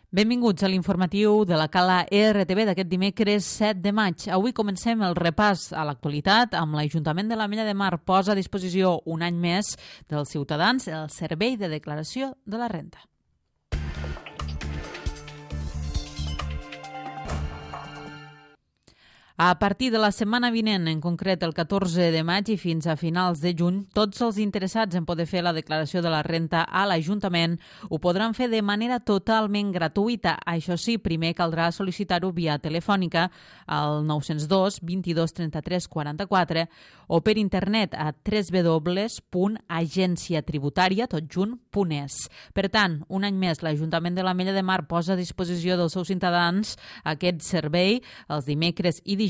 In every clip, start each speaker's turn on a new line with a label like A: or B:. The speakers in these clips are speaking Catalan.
A: Benvinguts a l'informatiu de la Cala RTV d'aquest dimecres 7 de maig. Avui comencem el repàs a l'actualitat amb l'Ajuntament de l'Ametlla de Mar posa a disposició un any més dels ciutadans el servei de declaració de la renda. A partir de la setmana vinent, en concret el 14 de maig i fins a finals de juny, tots els interessats en poder fer la declaració de la renda a l'Ajuntament ho podran fer de manera totalment gratuïta. Això sí, primer caldrà sol·licitar-ho via telefònica al 902 22 33 44 o per internet a www.agenciatributaria.es. Per tant, un any més, l'Ajuntament de l'Ametlla de Mar posa a disposició dels seus ciutadans aquest servei els dimecres i dijous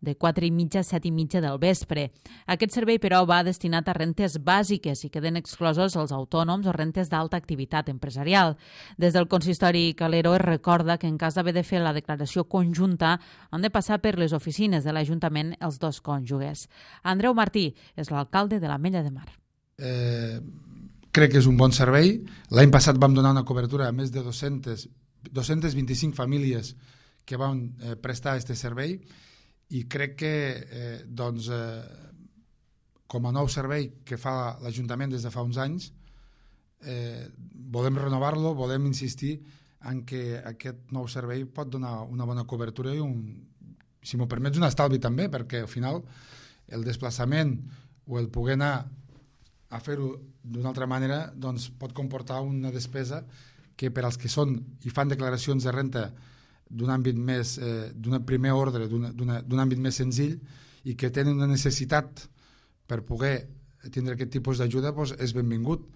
A: de 4:30 a 7:30 del vespre. Aquest servei, però, va destinat a rentes bàsiques i queden exclosos els autònoms o rentes d'alta activitat empresarial. Des del consistori Calero es recorda que en cas d'haver de fer la declaració conjunta han de passar per les oficines de l'Ajuntament els dos cònjuges. Andreu Martí és l'alcalde de l'Ametlla de Mar.
B: Crec que és un bon servei. L'any passat vam donar una cobertura a més de 225 famílies que van prestar aquest servei i crec que com a nou servei que fa l'Ajuntament des de fa uns anys volem renovar-lo, volem insistir en que aquest nou servei pot donar una bona cobertura i si m'ho permets, un estalvi també, perquè al final el desplaçament o el poder anar a fer-ho d'una altra manera doncs pot comportar una despesa que per als que són i fan declaracions de renta d'un àmbit més, d'un primer ordre, d'un àmbit més senzill i que tenen una necessitat per poder tindre aquest tipus d'ajuda, doncs és benvingut.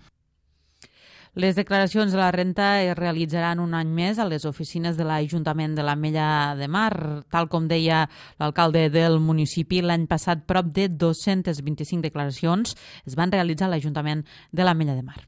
A: Les declaracions de la renta es realitzaran un any més a les oficines de l'Ajuntament de l'Ametlla de Mar. Tal com deia l'alcalde del municipi, l'any passat prop de 225 declaracions es van realitzar a l'Ajuntament de l'Ametlla de Mar.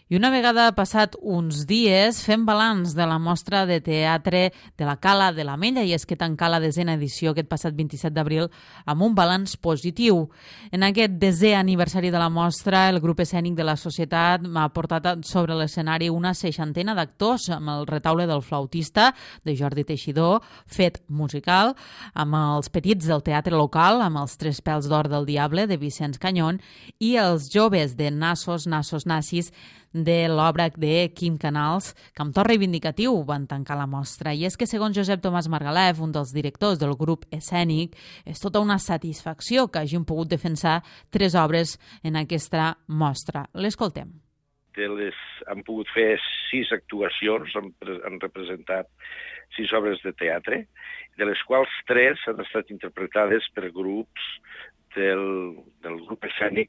A: I una vegada passat uns dies, fem balanç de la mostra de teatre de la Cala de l'Ametlla, i és que tancà la 10a edició aquest passat 27 d'abril amb un balanç positiu. En aquest 10è aniversari de la mostra, el grup escènic de la societat ha portat sobre l'escenari una 60ena d'actors amb el retaule del flautista de Jordi Teixidor, fet musical, amb els petits del teatre local, amb els Tres pèls d'or del diable de Vicenç Canyón i els joves de Nassos, Nassis, de l'obra de Quim Canals, que amb to reivindicatiu van tancar la mostra. I és que, segons Josep Tomàs Margalef, un dels directors del grup escènic, és tota una satisfacció que hagin pogut defensar 3 obres en aquesta mostra. L'escoltem.
C: Han pogut fer 6 actuacions, han representat 6 obres de teatre, de les quals 3 han estat interpretades per grups del grup escènic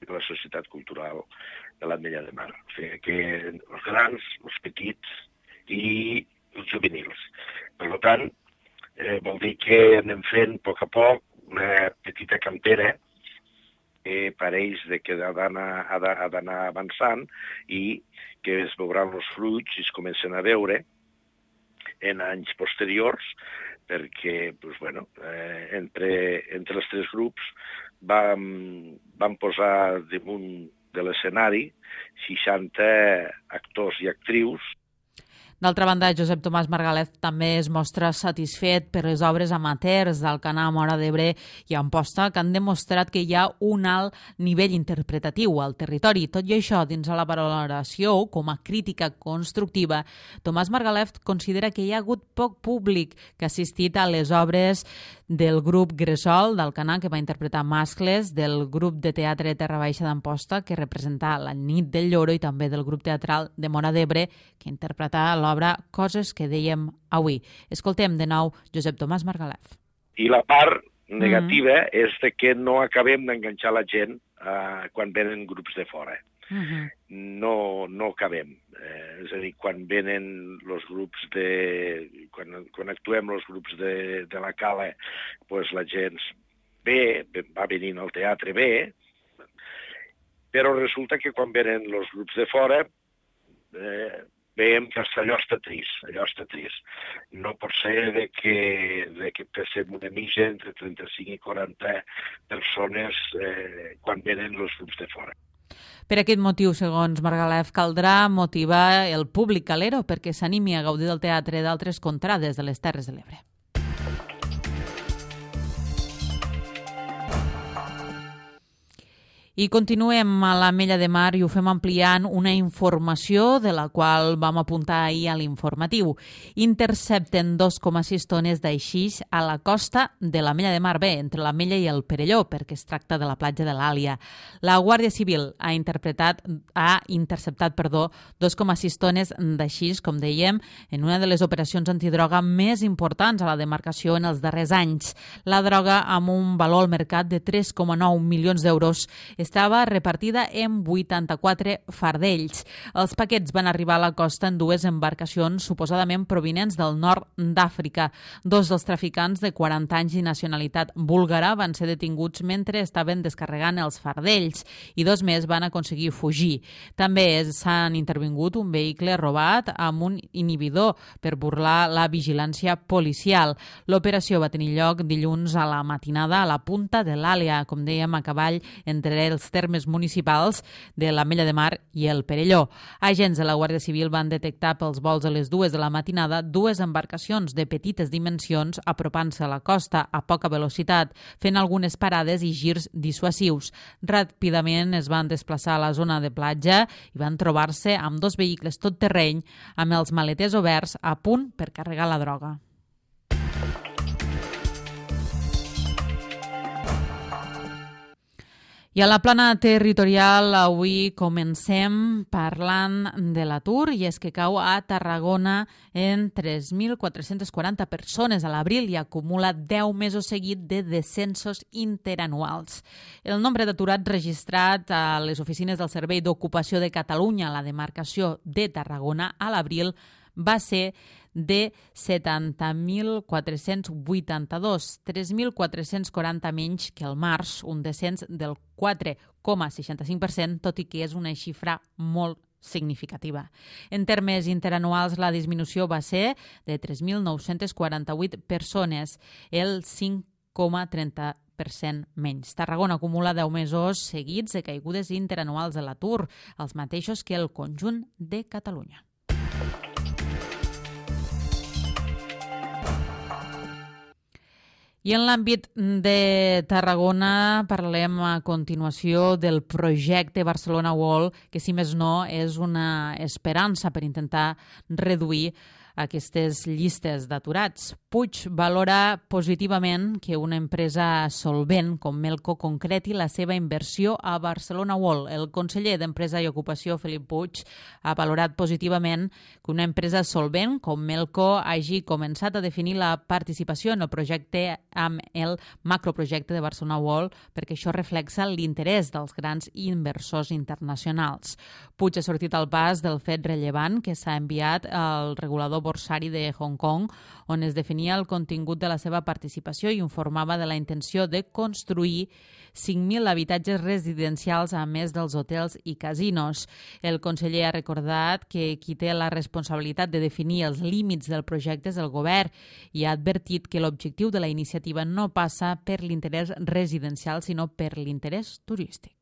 C: de la Societat Cultural de l'Ametlla de Mar. O sigui que els grans, els petits i els juvenils. Per tant, vol dir que anem fent a poc una petita cantera que pareix que ha d'anar avançant i que es veuran els fruits i es comencen a veure en anys posteriors, perquè entre els 3 grups vam posar damunt de l'escenari 60 actors i actrius.
A: D'altra banda, Josep Tomàs Margalef també es mostra satisfet per les obres amateurs d'Alcanar, Móra d'Ebre i Amposta, que han demostrat que hi ha un alt nivell interpretatiu al territori. Tot i això, dins de la valoració, com a crítica constructiva, Tomàs Margalef considera que hi ha hagut poc públic que ha assistit a les obres del grup Gresol d'Alcanar, que va interpretar Mascles, del grup de teatre Terra Baixa d'Amposta, que representa La nit del lloro, i també del grup teatral de Móra d'Ebre, que interpreta l'obra Coses que dèiem avui. Escoltem de nou Josep Tomàs Margalef.
C: I la part negativa és que no acabem d'enganxar la gent quan venen grups de fora. No acabem. És a dir, quan venen els grups quan actuem els grups de la Cala, doncs la gent va venint al teatre bé, però resulta que quan venen els grups de fora veiem que allò està trist. No pot ser que passem una mitja entre 35 i 40 persones quan venen els grups de fora.
A: Per aquest motiu, segons Margalef, caldrà motivar el públic calero perquè s'animi a gaudir del teatre d'altres contrades de les Terres de l'Ebre. I continuem a l'Ametlla de Mar i ho fem ampliant una informació de la qual vam apuntar ahir a l'informatiu. Intercepten 2,6 tones d'aixix a la costa de l'Ametlla de Mar, entre l'Ametlla i el Perelló, perquè es tracta de la platja de l'Àlia. La Guàrdia Civil ha interceptat 2,6 tones d'aixix, com dèiem, en una de les operacions antidroga més importants a la demarcació en els darrers anys. La droga, amb un valor al mercat de 3,9 milions d'euros, estava repartida en 84 fardells. Els paquets van arribar a la costa en dues embarcacions suposadament provinents del nord d'Àfrica. Dos dels traficants de 40 anys i nacionalitat búlgara van ser detinguts mentre estaven descarregant els fardells i dos més van aconseguir fugir. També s'han intervingut un vehicle robat amb un inhibidor per burlar la vigilància policial. L'operació va tenir lloc dilluns a la matinada a la punta de l'Àlia, com dèiem, a cavall entre els termes municipals de l'Ametlla de Mar i el Perelló. Agents de la Guàrdia Civil van detectar pels vols a les 2 de la matinada dues embarcacions de petites dimensions apropant-se a la costa a poca velocitat, fent algunes parades i girs dissuasius. Ràpidament es van desplaçar a la zona de platja i van trobar-se amb dos vehicles tot terreny amb els maleters oberts a punt per carregar la droga. I a la plana territorial avui comencem parlant de l'atur i és que cau a Tarragona en 3.440 persones a l'abril i acumula 10 mesos seguits de descensos interanuals. El nombre d'aturats registrat a les oficines del Servei d'Ocupació de Catalunya a la demarcació de Tarragona a l'abril va ser de 70.482, 3.440 menys que el març, un descens del 4,65%, tot i que és una xifra molt significativa. En termes interanuals, la disminució va ser de 3.948 persones, el 5,30% menys. Tarragona acumula 10 mesos seguits de caigudes interanuals de l'atur, els mateixos que el conjunt de Catalunya. I en l'àmbit de Tarragona parlem a continuació del projecte Barcelona World, que si més no és una esperança per intentar reduir aquestes llistes d'aturats. Puig valora positivament que una empresa solvent com Melco concreti la seva inversió a Barcelona World. El conseller d'Empresa i Ocupació, Felip Puig, ha valorat positivament que una empresa solvent com Melco hagi començat a definir la participació en el projecte amb el macroprojecte de Barcelona World, perquè això reflexa l'interès dels grans inversors internacionals. Puig ha sortit al pas del fet rellevant que s'ha enviat al regulador borsari de Hong Kong, on es definia el contingut de la seva participació i informava de la intenció de construir 5.000 habitatges residencials a més dels hotels i casinos. El conseller ha recordat que qui té la responsabilitat de definir els límits del projecte és el govern i ha advertit que l'objectiu de la iniciativa no passa per l'interès residencial, sinó per l'interès turístic.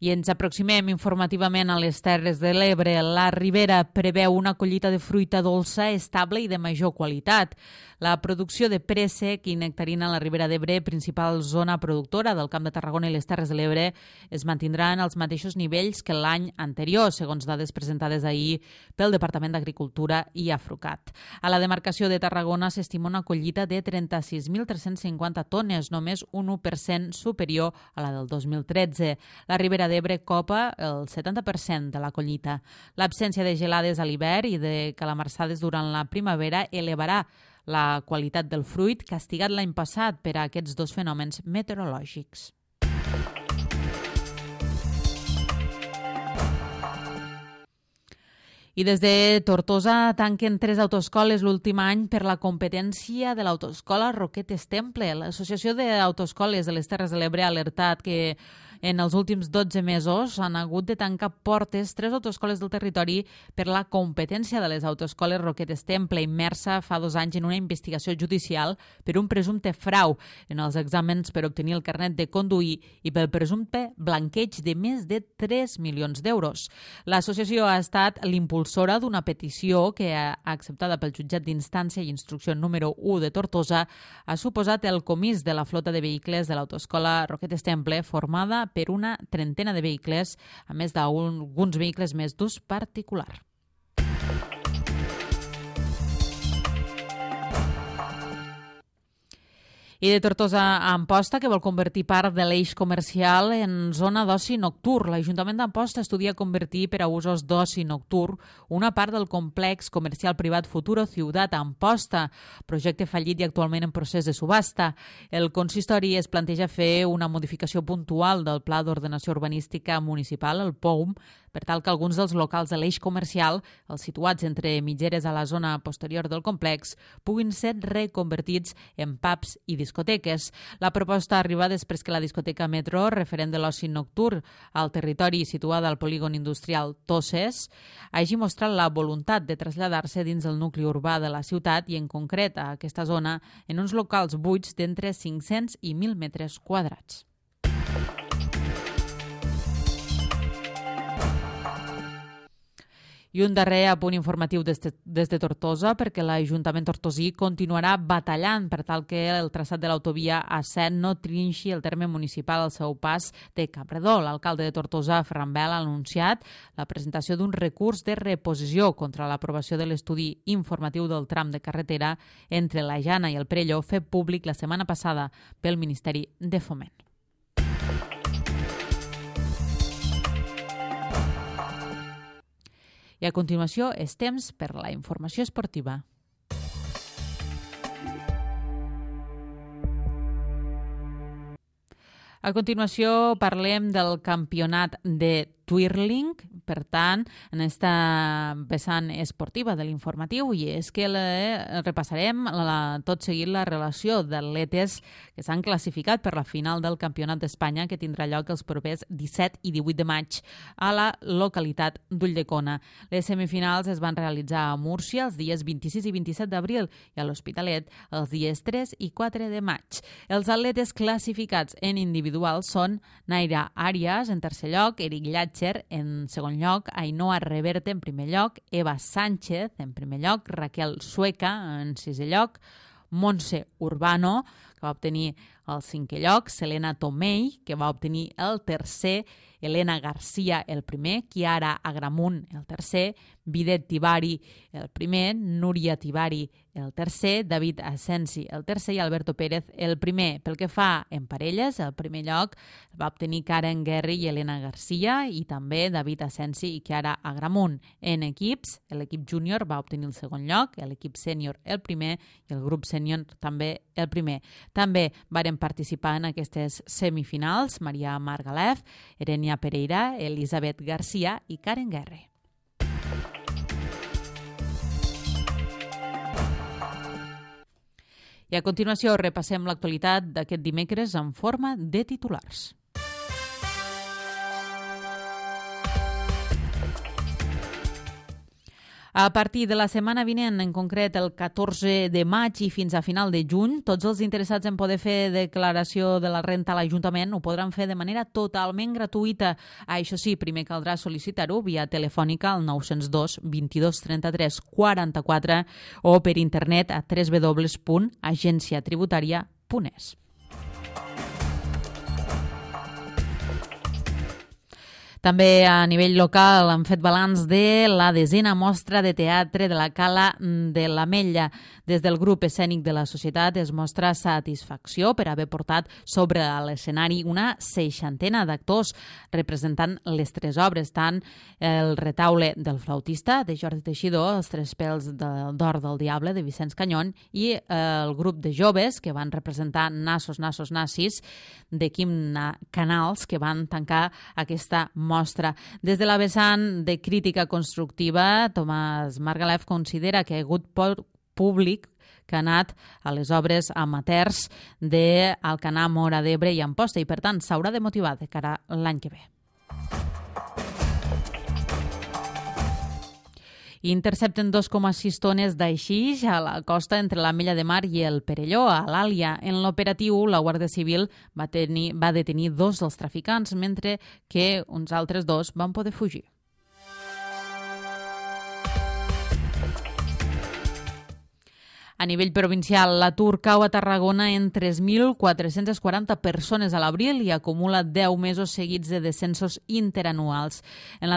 A: I ens aproximem informativament a les Terres de l'Ebre. La Ribera preveu una collita de fruita dolça estable i de major qualitat. La producció de préssec i nectarina a la Ribera d'Ebre, principal zona productora del Camp de Tarragona i les Terres de l'Ebre, es mantindrà en els mateixos nivells que l'any anterior, segons dades presentades ahir pel Departament d'Agricultura i Afrucat. A la demarcació de Tarragona s'estima una collita de 36.350 tones, només un 1% superior a la del 2013. La Ribera d'Ebre copa el 70% de la collita. L'absència de gelades a l'hivern i de calamarsades durant la primavera elevarà la qualitat del fruit, castigat l'any passat per a aquests dos fenòmens meteorològics. I des de Tortosa tanquen 3 autoescoles l'últim any per la competència de l'autoescola Roquetes Temple. L'Associació d'Autoescoles de les Terres de l'Ebre ha alertat que En els últims 12 mesos han hagut de tancar portes 3 autoescoles del territori per la competència de les autoescoles Roquetes Temple, immersa fa 2 anys en una investigació judicial per un presumpte frau en els exàmens per obtenir el carnet de conduir i pel presumpte blanqueig de més de 3 milions d'euros. L'associació ha estat l'impulsora d'una petició que, acceptada pel jutjat d'instància i instrucció número 1 de Tortosa, ha suposat el comís de la flota de vehicles de l'autoescola Roquetes Temple, formada per una trentena de vehicles, a més d'alguns vehicles més d'ús particular. I de Tortosa a Amposta, que vol convertir part de l'eix comercial en zona d'oci nocturn. L'Ajuntament d'Amposta estudia convertir per a usos d'oci nocturn una part del complex comercial privat Futuro Ciutat Amposta, projecte fallit i actualment en procés de subhasta. El consistori es planteja fer una modificació puntual del Pla d'Ordenació Urbanística Municipal, el POUM, per tal que alguns dels locals de l'eix comercial, els situats entre mitgeres a la zona posterior del complex, puguin ser reconvertits en pubs i discoteques. La proposta arriba després que la discoteca Metro, referent de l'oci nocturn al territori situada al polígon industrial Toses, hagi mostrat la voluntat de traslladar-se dins el nucli urbà de la ciutat i en concret a aquesta zona en uns locals buits d'entre 500 i 1.000 metres quadrats. I un darrer apunt informatiu des de Tortosa, perquè l'Ajuntament tortosí continuarà batallant per tal que el traçat de l'autovia A7 no trinxi el terme municipal al seu pas de Capredó. L'alcalde de Tortosa, Ferran Bel, ha anunciat la presentació d'un recurs de reposició contra l'aprovació de l'estudi informatiu del tram de carretera entre la Jana i el Perelló, fet públic la setmana passada pel Ministeri de Foment. I a continuació és temps per la informació esportiva. A continuació parlem del campionat de Twirling, per tant, en esta vessant esportiva de l'informatiu, i és que repassarem tot seguit la relació d'atletes que s'han classificat per la final del Campionat d'Espanya, que tindrà lloc els propers 17 i 18 de maig a la localitat d'Ulldecona. Les semifinals es van realitzar a Múrcia els dies 26 i 27 d'abril i a l'Hospitalet els dies 3 i 4 de maig. Els atletes classificats en individual són Naira Arias en tercer lloc, Eric Llàtzer en segon lloc, Ainhoa Reverte en primer lloc, Eva Sánchez en primer lloc, Raquel Sueca en sisè lloc, Montse Urbano, que va obtenir el cinquè lloc, Selena Tomei, que va obtenir el tercer, Elena Garcia el primer, Chiara Agramunt el tercer, Videt Tibari el primer, Núria Tibari el tercer, David Asensi el tercer i Alberto Pérez el primer. Pel que fa en parelles, el primer lloc va obtenir Karen Guerri i Elena Garcia i també David Asensi i Chiara Agramunt. En equips, l'equip júnior va obtenir el segon lloc, l'equip sènior el primer i el grup sènior també el primer. També varen participar en aquestes semifinals Maria Margalef, Erenia Pereira, Elisabet Garcia i Karen Guerri. I a continuació repassem l'actualitat d'aquest dimecres en forma de titulars. A partir de la setmana vinent, en concret el 14 de maig i fins a final de juny, tots els interessats en poder fer declaració de la renta a l'Ajuntament ho podran fer de manera totalment gratuïta. Això sí, primer caldrà sol·licitar-ho via telefònica al 902 22 33 44 o per internet a www.agenciatributaria.es. També a nivell local han fet balanç de la 10a mostra de teatre de la Cala de l'Ametlla. Des del grup escènic de la societat es mostra satisfacció per haver portat sobre l'escenari una 60 d'actors representant les 3 obres, tant el retaule del flautista de Jordi Teixidor, els 3 pèls d'or del diable de Vicenç Canyón i el grup de joves que van representar Nassos, Nassos, Nassis de Quim Canals, que van tancar aquesta mostra. Des de la vessant de crítica constructiva, Tomàs Margalef considera que hi ha hagut públic que que ha anat a les obres amateurs d'Alcanar, Móra d'Ebre i Amposta i, per tant, s'haurà de motivar de cara a l'any que ve. Intercepten 2,6 tones d'aixix a la costa entre l'Ametlla de Mar i el Perelló, a l'Àlia. En l'operatiu, la Guàrdia Civil va detenir 2 dels traficants, mentre que uns altres 2 van poder fugir. A nivell provincial, l'atur cau a Tarragona en 3.440 persones a l'abril i acumula 10 mesos seguits de descensos interanuals. És la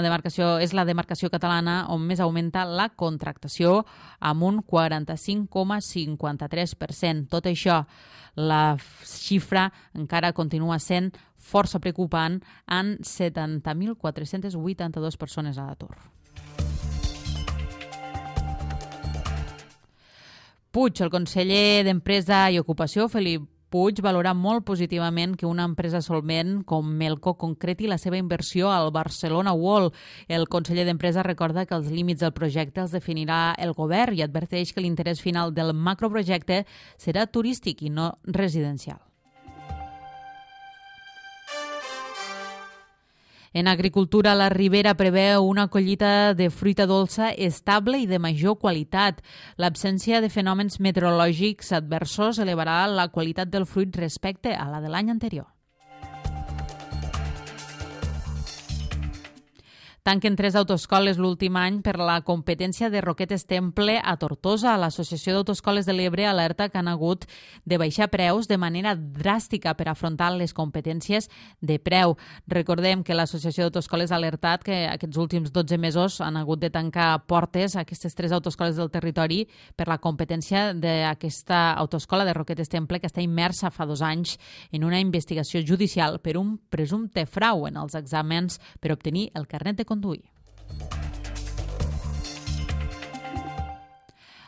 A: demarcació catalana on més augmenta la contractació, amb un 45,53%. Tot això, la xifra encara continua sent força preocupant, amb 70.482 persones a l'atur. Puig, el conseller d'Empresa i Ocupació, Felip Puig, valora molt positivament que una empresa solvent com Melco concreti la seva inversió al Barcelona World. El conseller d'Empresa recorda que els límits del projecte els definirà el govern i adverteix que l'interès final del macroprojecte serà turístic i no residencial. En agricultura, la Ribera preveu una collita de fruita dolça estable i de major qualitat. L'absència de fenòmens meteorològics adversos elevarà la qualitat del fruit respecte a la de l'any anterior. Tanquen 3 autoescoles l'últim any per la competència de Roquetes Temple a Tortosa. L'Associació d'Autoescoles de l'Ebre alerta que han hagut de baixar preus de manera dràstica per afrontar les competències de preu. Recordem que l'Associació d'Autoescoles ha alertat que aquests últims 12 mesos han hagut de tancar portes a aquestes 3 autoescoles del territori per la competència d'aquesta autoescola de Roquetes Temple, que està immersa fa 2 anys en una investigació judicial per un presumpte frau en els exàmens per obtenir el carnet de conduir.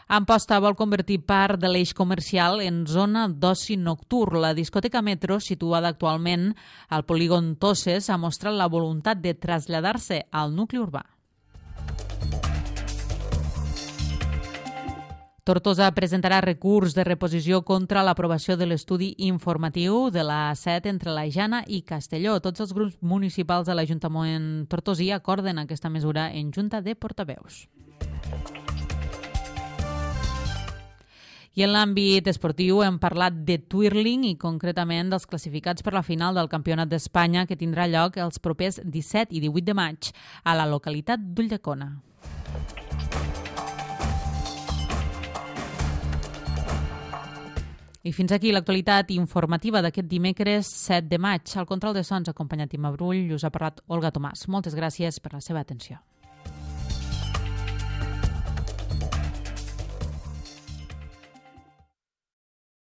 A: Amposta vol convertir part de l'eix comercial en zona d'oci nocturn. La discoteca Metro, situada actualment al polígon Tosses, ha mostrat la voluntat de traslladar-se al nucli urbà. Tortosa presentarà recurs de reposició contra l'aprovació de l'estudi informatiu de la A7 entre la Jana i Castelló. Tots els grups municipals de l'Ajuntament tortosí acorden aquesta mesura en Junta de Portaveus. I en l'àmbit esportiu hem parlat de twirling i concretament dels classificats per la final del Campionat d'Espanya que tindrà lloc els propers 17 i 18 de maig a la localitat d'Ulldecona. I fins aquí l'actualitat informativa d'aquest dimecres 7 de maig. Al control de sons, acompanyat Imma Brull, us ha parlat Olga Tomàs. Moltes gràcies per la seva atenció.